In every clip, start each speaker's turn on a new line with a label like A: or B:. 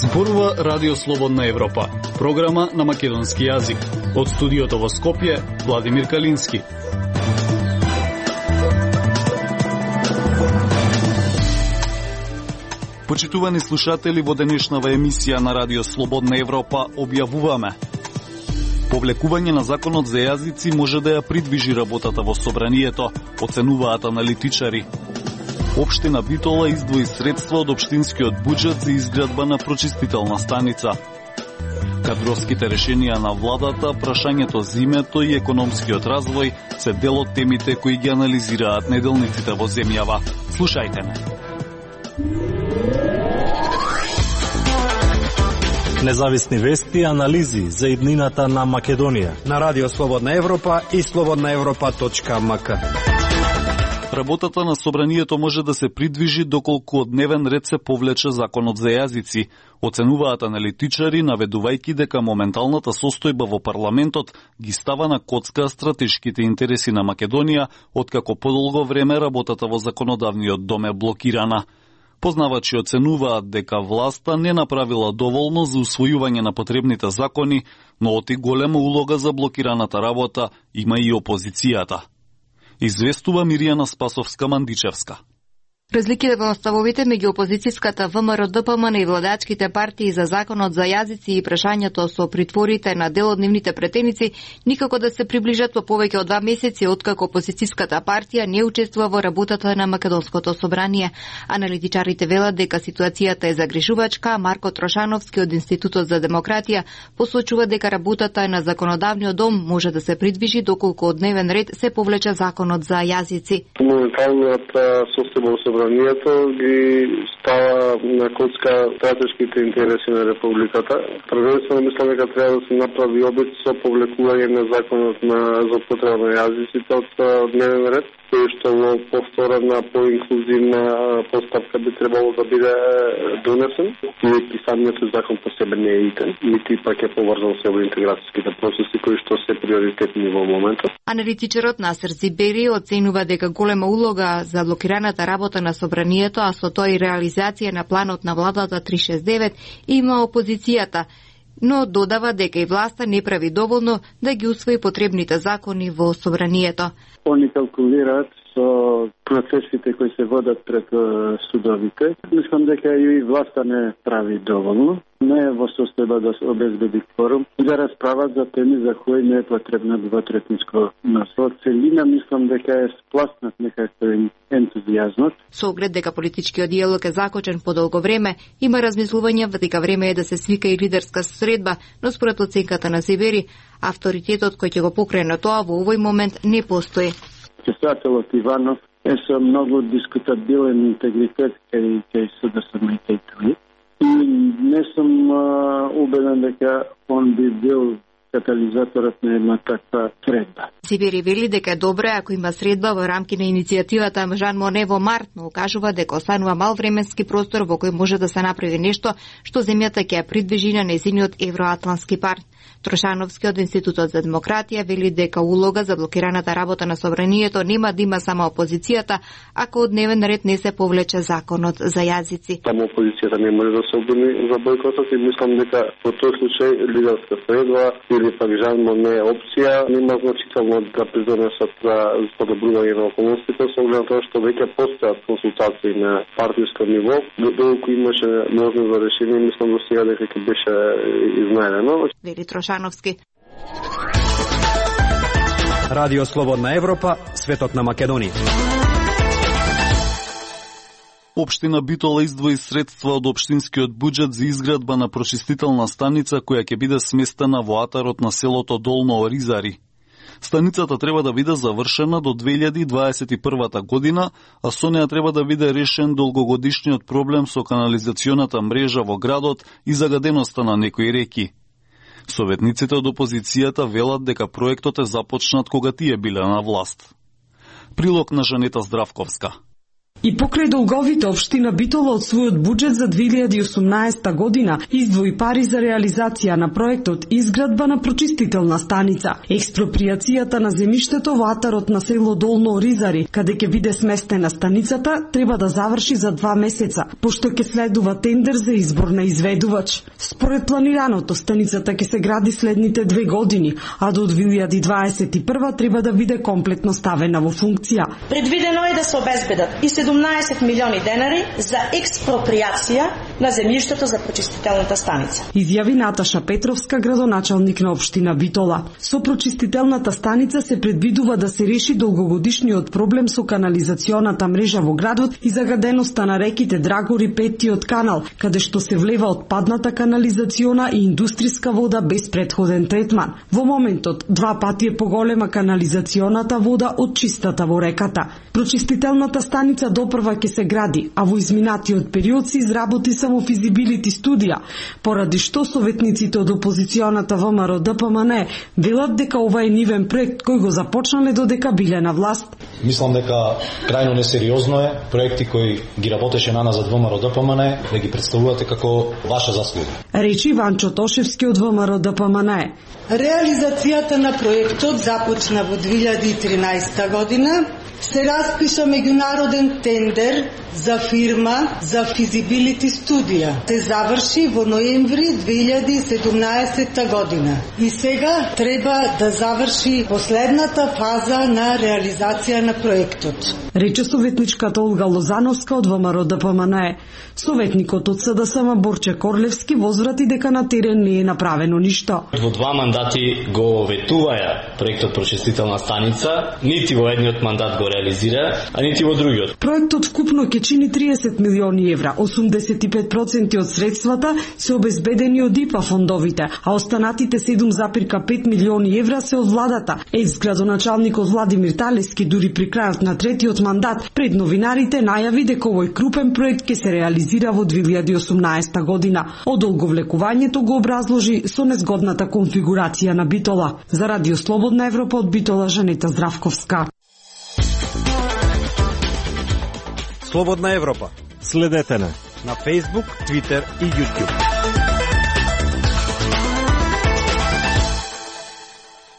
A: Зборува Радио Слободна Европа, програма на македонски јазик. Од студиото во Скопје, Владимир Калински. Почитувани слушатели, во денешнава емисија на Радио Слободна Европа објавуваме: повлекување на законот за јазици може да ја придвижи работата во собранието, оценуваат аналитичари. Општина Битола издвои средства од општинскиот буџет за изградба на прочистителна станица. Кадровските решенија на владата, прашањето за името и економскиот развој се дел од темите кои ги анализираат неделниците во земјава. Слушајте ме.
B: Независни вести и анализи за иднината на Македонија
C: на Радио Слободна Европа и slobodnaevropa.mk.
A: Работата на собранието може да се придвижи доколку од дневен ред се повлече законот за јазици, оценуваат аналитичари, наведувајќи дека моменталната состојба во парламентот ги става на коцка стратешките интереси на Македонија, откако подолго време работата во законодавниот дом е блокирана. Познавачи оценуваат дека власта не направила доволно за усвојување на потребните закони, но оти голема улога за блокираната работа има и опозицијата. Известува Миријана Спасовска-Мандичевска.
D: Разликите во ставовите меѓу опозицијската ВМРО, ДПМН и владачките партии за законот за јазици и прашањето со притворите на дел од нивните претеници никако да се приближат во повеќе од 2 месеци откако опозицијската партија не учествува во работата на Македонското собрание. Аналитичарите велат дека ситуацијата е загрижувачка, а Марко Трошановски од Институтот за демократија посочува дека работата на законодавниот дом може да се придвижи доколку од дневен ред се повлече законот за јазици.
E: Моменталната состојба собранието ги става на коцка стратешките интереси на републиката. Првенствено мислам дека треба да се направи обид со повлекување на законот за употреба на јазиците од дневен ред, кој што во повторена поинклузивна постапка би требало да биде донесен. И самиот закон по себе не е итен, нити пак е поврзан со интеграцијските процеси кои што се приоритетни во моментот.
D: Аналитичарот Насер Зибери оценува дека голема улога за блокираната работа на собранието, а со тоа и реализација на планот на владата 369 има опозицијата, но додава дека и власта не прави доволно да ги усвои потребните закони во собранието.
F: Они калкулираат со процесите кои се водат пред судовите. Мислам дека и власта не прави доволно. Не е во состојба да се обезбеди кворум и да расправат за теми за кои не е потребно двотретинско мнозинство. Целина мислам дека е спласнат некако ентузијазмот.
D: Со оглед дека политичкиот диалог е закочен по долго време, има размислување дека време е да се свика и лидерска средба, но според оценката на Сибери, авторитетот кој ќе го покрене тоа во овој момент не постои.
F: Председателот Иванов е со многу дискутабилен интегритет кај СДСМ и ТУИ. И не сум убеден дека он би бил катализаторот на една таква средба.
D: Сибери вели дека е добре ако има средба во рамки на иницијативата Жан Моне во март, но укажува дека останува мал временски простор во кој може да се направи нешто што земјата ќе ја придвижи на нејзиниот евроатлантски пат. Трошановски од Институтот за демократија вели дека улога за блокираната работа на собранието нема да има само опозицијата, ако од дневен ред не се повлече законот за јазици.
E: Само опозицијата не може да се обвини за бојкотот и мислам дека во тој случај лидерска средба или пак Жан Моне опција нема значително да придонесат за подобрување на околностите, со оглед на тоа што веќе постојат консултации на партиско ниво, доколку имаше можност за решение, мислам до сега дека ќе беше изнајдено.
D: Вели Трошановски.
C: Радио Слободна Европа, светот на Македонија.
A: Општина Битола издвои средства од општинскиот буџет за изградба на прочистителна станица која ќе биде сместена во атарот на селото Долно Оризари. Станицата треба да биде завршена до 2021 година, а со неа треба да биде решен долгогодишниот проблем со канализационата мрежа во градот и загаденоста на некои реки. Советниците од опозицијата велат дека проектот е започнат кога тие биле на власт. Прилог на Жанета Здравковска.
G: И покрај долговите, општина Битола од својот буџет за 2018 година издвои пари за реализација на проектот изградба на прочистителна станица. Експропријацијата на земјиштето во атарот на село Долно Оризари, каде ќе биде сместена станицата, треба да заврши за 2 месеца, пошто ќе следува тендер за избор на изведувач. Според планираното, станицата ќе се гради следните 2 години, а до 2021 треба да биде комплетно ставена во функција.
H: Предвидено е да се обезбедат и 17 милиони денари за експропријација на земјиштето за прочистителната станица.
G: Изјави Наташа Петровска, градоначалник на општина Битола. Со прочистителната станица се предвидува да се реши долгогодишниот проблем со канализационата мрежа во градот и загаденоста на реките Драгор и Петтиот канал, каде што се влева отпадната канализациона и индустријска вода без претходен третман. Во моментот 2 пати е поголема канализационата вода од чистата во реката. Прочистителната станица допрва ќе се гради, а во изминатиот период се изработи само физибилити студија, поради што советниците од опозиционата ВМРО ДПМН велат дека ова е нивен проект кој го започнале додека биле на власт.
B: Мислам дека крајно несериозно е проекти кои ги работеше на назад ВМРО ДПМН да ги представувате како ваша заслуга.
G: Речи Ванчо Тошевски од ВМРО ДПМН.
I: Реализацијата на проектот започна во 2013 година. Се распиша меѓународен тендер за фирма за физибилити студија. Се заврши во ноември 2017 година. И сега треба да заврши последната фаза на реализација на проектот.
G: Рече советничката Олга Лозановска од ВМРО ДПМН. Советникот од СДСМ Борче Корлевски возврати дека на терен не е направено ништо.
J: Во 2 мандати го ветуваја проектот прочистителна станица, нити во едниот мандат го реализира, а нити во другиот.
G: Проектот вкупно ќе чини 30 милиони евра, 85% од средствата се обезбедени од ИПА фондовите, а останатите 7,5 милиони евра се од владата. Екс-градоначалникот Владимир Талески дури при крајот на третиот мандат пред новинарите најави дека овој крупен проект ќе се реализира во 2018 година. Одолговлекувањето го образложи со незгодната конфигурација на Битола. За Радио Слободна Европа од Битола, Жанета Здравковска.
C: Слободна Европа.
B: Следете на
C: Facebook, Twitter и YouTube.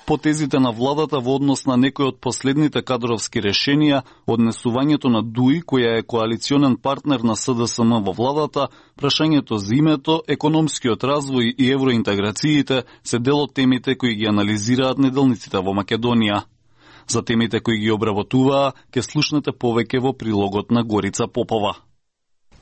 A: Потезите на владата во однос на некои од последните кадровски решенија, однесувањето на ДУИ, која е коалиционен партнер на СДСМ во владата, прашањето за името, економскиот развој и евроинтеграциите се дел од темите кои ги анализираат неделниците во Македонија. За темите кои ги обработуваа, ке слушнете повеќе во прилогот на Горица Попова.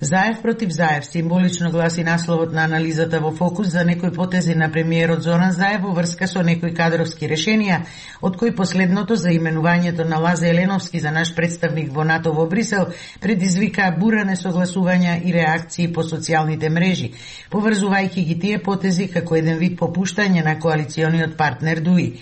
K: Заев против Заев, символично гласи насловот на анализата во Фокус за некои потези на премиерот Зоран Заев во врска со некои кадровски решенија, од кои последното за именувањето на Лазе Еленовски за наш представник во НАТО во Брисел предизвика бура несогласувања и реакции по социјалните мрежи, поврзувајќи ги тие потези како еден вид попуштање на коалициониот партнер ДУИ.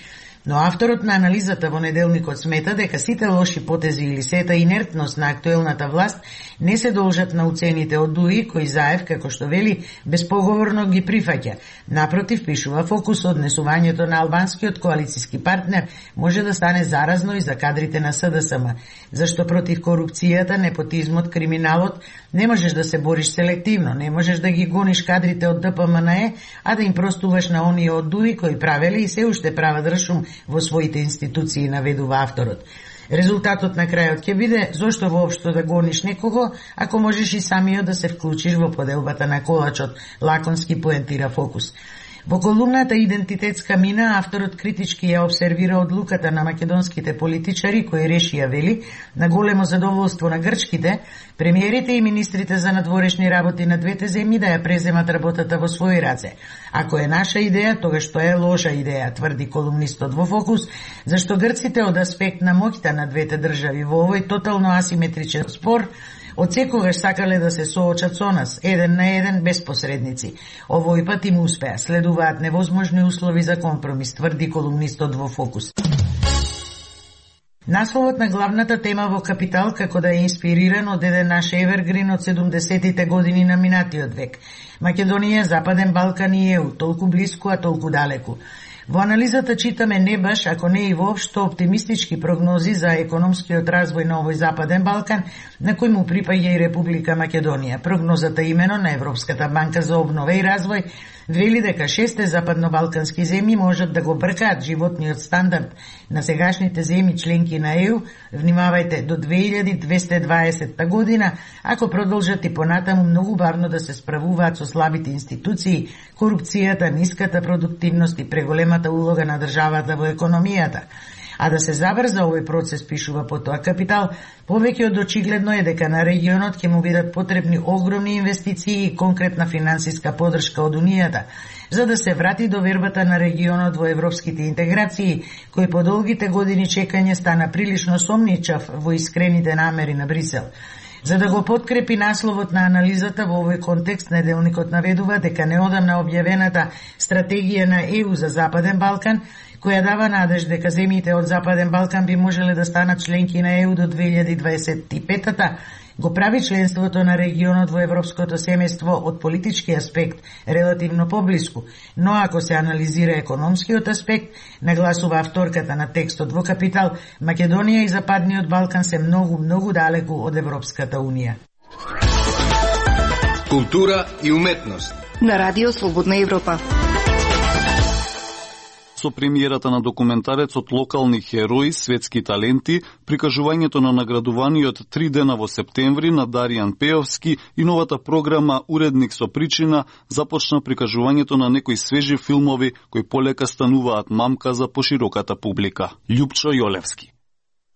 K: Но авторот на анализата во неделникот смета дека сите лоши потези или сета инертност на актуелната власт не се должат на уцените од ДУИ, кои Заев, како што вели, безпоговорно ги прифаќа. Напротив, пишува Фокус, однесувањето на албанскиот коалициски партнер може да стане заразно и за кадрите на СДСМ, зашто против корупцијата, непотизмот, криминалот не можеш да се бориш селективно, не можеш да ги гониш кадрите од ДПМНЕ, а да им простуваш на оние од ДУИ кои правеле и се уште прават ршум во своите институции, наведува авторот. Резултатот на крајот ќе биде зошто воопшто да гониш некого, ако можеш и самиот да се вклучиш во поделбата на колачот, лаконски поентира Фокус. Во колумната Идентитетска мина, авторот критички ја обсервира одлуката на македонските политичари кои решија, вели, на големо задоволство на грчките, премиерите и министрите за надворешни работи на двете земји да ја преземат работата во своји раце. Ако е наша идеја, тогаш тоа е лоша идеја, тврди колумнистот во Фокус, зашто грците од аспект на моќта на двете држави во овој тотално асиметричен спор од секогаш сакале да се соочат со нас, еден на еден, без посредници. Овој пат им успеа, следуваат невозможни услови за компромис, тврди колумнистот во Фокус. Насловот на главната тема во Капитал како да е инспириран од еден наш евергрин од 70-тите години на минатиот век. Македонија, Западен Балкан и ЕУ, толку блиску, а толку далеку. Во анализата читаме не баш, ако не и воопшто оптимистички прогнози за економскиот развој на овој Западен Балкан, на кој му припаѓа и Република Македонија. Прогнозата имено на Европската банка за обнова и развој вели дека 6 западнобалкански земји можат да го бркаат животниот стандард на сегашните земји членки на ЕУ, внимавајте, до 2220 година, ако продолжат и понатаму многу бавно да се справуваат со слабите институции, корупцијата, ниската продуктивност и преголемата улога на државата во економијата. А да се забрза овој процес, пишува Потоа Капитал, повеќе од очигледно е дека на регионот ќе му бидат потребни огромни инвестиции и конкретна финансиска подршка од Унијата, за да се врати довербата на регионот во европските интеграции, кој по долгите години чекање стана прилично сомничав во искрените намери на Брисел. За да го подкрепи насловот на анализата во овој контекст, неделникот наведува дека неодамна објавената стратегија на ЕУ за Западен Балкан, која дава надеж дека земјите од Западен Балкан би можеле да станат членки на ЕУ до 2025-та, го прави членството на регионот во европското семејство од политички аспект релативно поблиску, но ако се анализира економскиот аспект, нагласува авторката на текстот во Капитал, Македонија и Западниот Балкан се многу далеку од Европската Унија.
L: Култура и уметност
D: на Радио Слободна Европа.
A: Со премиерата на документарецот Локални херои, светски таленти, прикажувањето на наградуваниот 3 дена во септември на Даријан Пеовски и новата програма Уредник со причина, започна прикажувањето на некои свежи филмови кои полека стануваат мамка за пошироката публика. Љупчо Јолевски.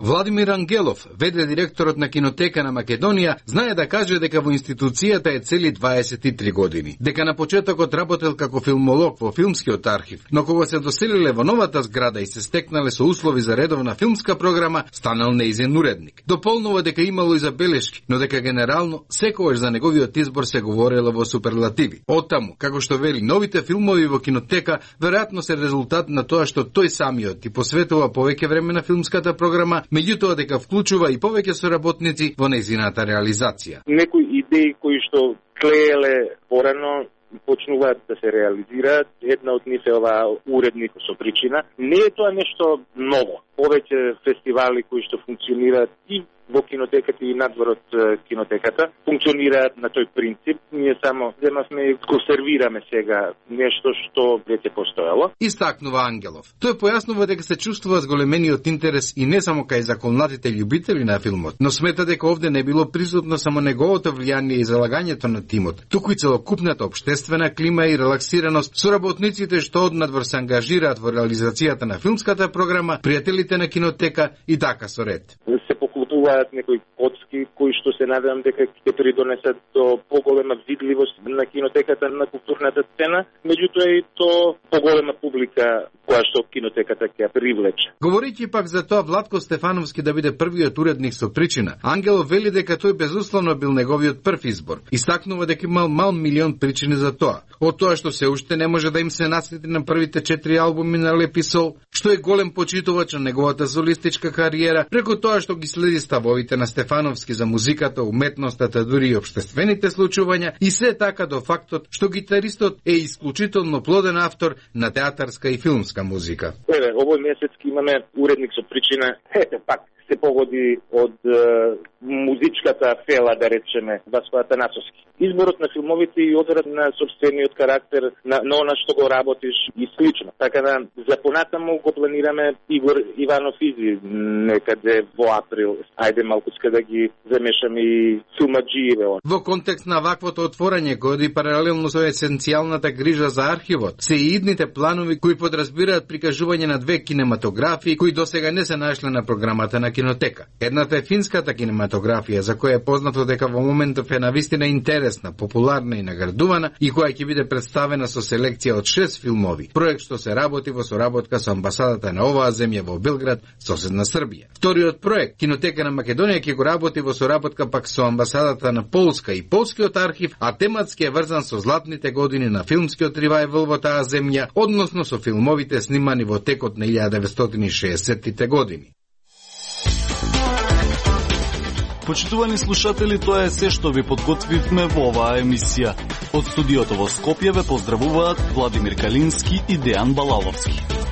L: Владимир Ангелов, веде директорот на Кинотека на Македонија, знае да каже дека во институцијата е цели 23 години. Дека на почетокот работел како филмолог во филмскиот архив, но кога се доселиле во новата зграда и се стекнале со услови за редовна филмска програма, станал неизен уредник. Дополнува дека имало и забелешки, но дека генерално секогаш за неговиот избор се говорело во суперлативи. Оттаму, како што вели, новите филмови во Кинотека веројатно се резултат на тоа што тој самиот и посветува повеќе време на филмската програма, меѓутоа дека вклучува и повеќе соработници во нејзината реализација.
M: Некои идеи кои што клееле порано почнуваат да се реализираат. Една од нив е оваа Уредник со причина. Не е тоа нешто ново. Повеќе фестивали кои што функционираат и во кинотеката и надвор од кинотеката функционираат на тој принцип. Ние само земавме и консервираме сега нешто што веќе постоело.
L: Истакнува Ангелов. Тој појаснува дека се чувствува зголемениот интерес и не само кај законатите љубители на филмот, но смета дека овде не било присутно само неговото влијание и залагањето на тимот, туку и целокупната општествена клима и релаксираност со работниците што однадвор се ангажираат во реализацијата на филмската програма, пријателите на Кинотека и така со ред.
M: Се поклопуваат некои коцки кои што се надевам дека ќе придонесат до поголема видливост на Кинотеката на културната сцена, меѓутоа и то поголема публика која што Кинотеката ќе привлече.
L: Говорејќи пак за тоа Владко Стефановски да биде првиот уредник со причина, Ангелов вели дека тој безусловно бил неговиот прв избор. Истакнува дека имал мал милион причини за тоа. Од тоа што се уште не може да им се наследи на првите 4 албуми на Лепи Сол, што е голем почитувач на неговата солистичка кариера, преку тоа што ги следи ставовите на Стефановски за музиката, уметноста, дури и општествените случувања, и се така до фактот што гитаристот е исклучително плоден автор на театарска и филмска музика.
M: Овој месец имаме Уредник со причина, пак се погоди од музичката фела, да речеме, Васко Атанасовски. Изборот на филмовите и одерот на собствениот карактер на она што го работиш и слично. Така да за понатаму го планираме Игор Иванов Изи некаде во април. Ајде малкуска да ги замешаме и филмаджиеве.
L: Во контекст на ваквото отворање, кој и паралелно со есенцијалната грижа за архивот, се и идните планови кои подразбираат прикажување на 2 кинематографии кои досега не се нашле на програмата на Кинотека. Едната е финската кинематографија, за која е познато дека во моментов е навистина интересна, популарна и наградувана и која ќе биде представена со селекција од 6 филмови. Проект што се работи во соработка со амбасадата на оваа земја во Белград, соседна Србија. Вториот проект, Кинотека на Македонија, ќе го работи во соработка пак со амбасадата на Полска и Полскиот архив, а тематски е врзан со златните години на филмскиот ревајвал во таа земја, односно со филмовите снимани во текот на 1960-тите години.
A: Почитувани слушатели, тоа е се што ви подготвивме во оваа емисија. Од студиото во Скопје ве поздравуваат Владимир Калински и Дејан Балаловски.